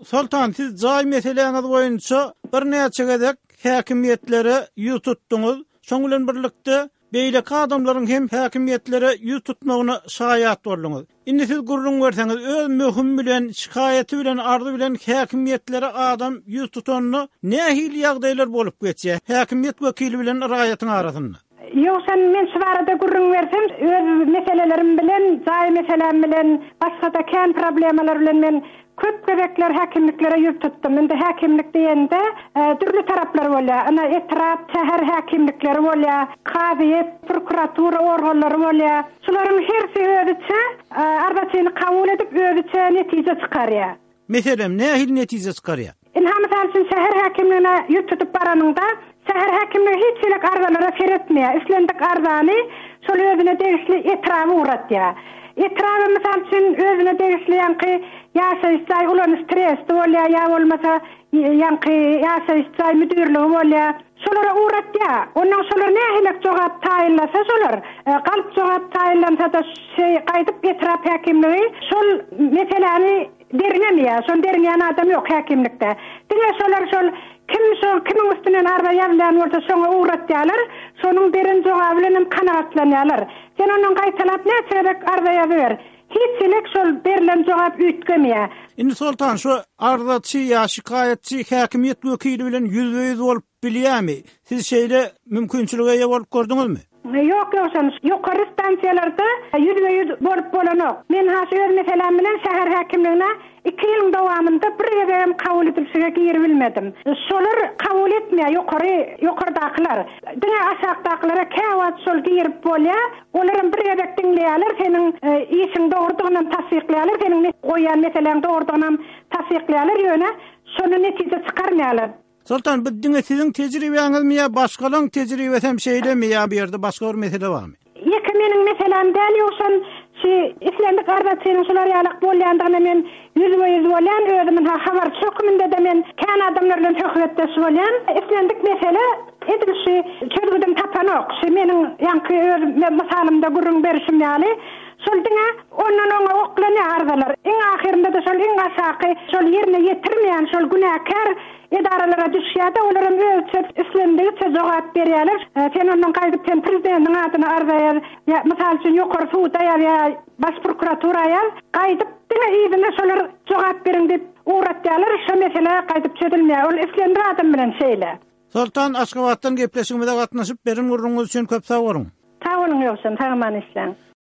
Soltan, siz jaý meseläňiz boýunça birnäçe gezek häkimiýetlere ýüz tutduňyz. Şoň bilen birlikde, beýleki adamlaryň hem häkimiýetlere ýüz tutmagyna şaýat bolduňyz. Indi siz gürrüň berseňiz, öz möhümi bilen, şikaýaty bilen, arzy bilen häkimiýetlere adam ýüz tutanda nähili ýagdaýlar bolup geçýär häkimiýet wekili bilen raýatyň arasynda? Ýogsam men şu barada gürrüň bersem, öz meselelerim bilen, jaý meseläm bilen, başga-da kän problemalar bilen men köp gezekler häkimliklere ýüz tutdum. Indi häkimlik diýende, dürli taraplar bolýar. Ynha, etrap, şäher häkimlikleri bolýar, kazyýet, prokuratura organlary bolýar. Şularyň hersi özüçe arzaçyny kabul edip, özüçe netije çykarýar. Meselem, nähili netije çykarýar? Ynha, mysal üçin, şäher häkimligine ýüz tutup baranyňda, şäher häkimligi hiç hili arzalara seretmeýär. Islendik arzany şol özüne degişli etraba ugratýar. Etraba, mysal üçin, özüne degişli ýaňky ýaşaýyş jaý ulanyş tresti bolýar ýa bolmasa ýaňky ýaşaýyş jaý müdirligi bolýar. Şolara ugratýar. Onnoň şolar nähilek jogap taýynlasa şolar, galp jogap taýynlansa-da şeý gaýdyp etrap häkimligi şol meseläni Derňemeýär. Şony derňeýän adam ýok häkimlikde. Diňe şolar şol kim şo kimiň üstünden arza ýazylýan bolsa şoňa ugratýarlar. Şonuň beren jogaby bilenem kanagatlanýarlar. Sen ondan gaýtalap näçe gezek arza ýazyber. Hiç hili şol berlen jogap üýtgemeýär. Indi Soltan şu arzaçy ýa şikaýatçy häkimiýet wekili bilen ýüzbe-ýüz bolup bilýärmi? Siz şeýle mümkinçilige eýe bolup gördüňizmi? Ýok Ýowşan, ýokary stansiýalarda ýüzbe-ýüz bolup bolanok. Men has öz meseläm bilen şäher häkimligine iki ýylyň dowamynda bir gezegem kabul edilşige giribilmedim. Şolar kabul etmeýär, ýokary, ýokardakylar. Diňe aşakdakylara käwagt şol girip bolýar. Olaram bir gezek diňleýärler, seniň işiň dogrudygynam tassyklaýarlar, seniň goýýan meseläň dogrudygynam tassyklaýarlar, ýöne şonda netije çykarmaýarlar. Soltan, bu diňe siziň tejribäňizmi ýa başgalaň tejribesem şeýlemi ýa bu ýerde başga bir mesele barmy? Ýeke meniň meseläm däl Ýowşan, şi islendik arzaçynyň şular ýalak bolýandygyna men ýüzbe-ýüz bolýan, özüm ynha habarçy höküminde-de men kän adamlar bilen söhbetdeş bolýan. Islendik mesele edil şi çözgüdini tapanok. Şi meniň ýaňky öz mysalymda gürrüň berişim ýaly, şol diňe ondan oňa oklanýar arzalar. Iň ahyrynda-da şol iň aşaky şol ýerine ýetirmeýän şol günäkär Edaralara düşýär-de, olaram özüçe islendigiçe jogap berýärler. Sen ondan gaýdyp sen prezidentiň adyna arza ýaz, ýa, mysal üçin, ýokary suda ýaz ýa Baş prokuratura ýaz. Gaýdyp diňe yzyna şolar jogap beriň diýip ugratýarlar. Şo mesele gaýdyp çözülmeýär. Ol islendik adam bilen şeýle. Soltan, Aşgabatdan gepleşigimize gatnaşyp, beren gürrüňiňiz üçin köp sag boluň! Sag boluň Ýowşan, sag-aman işläň.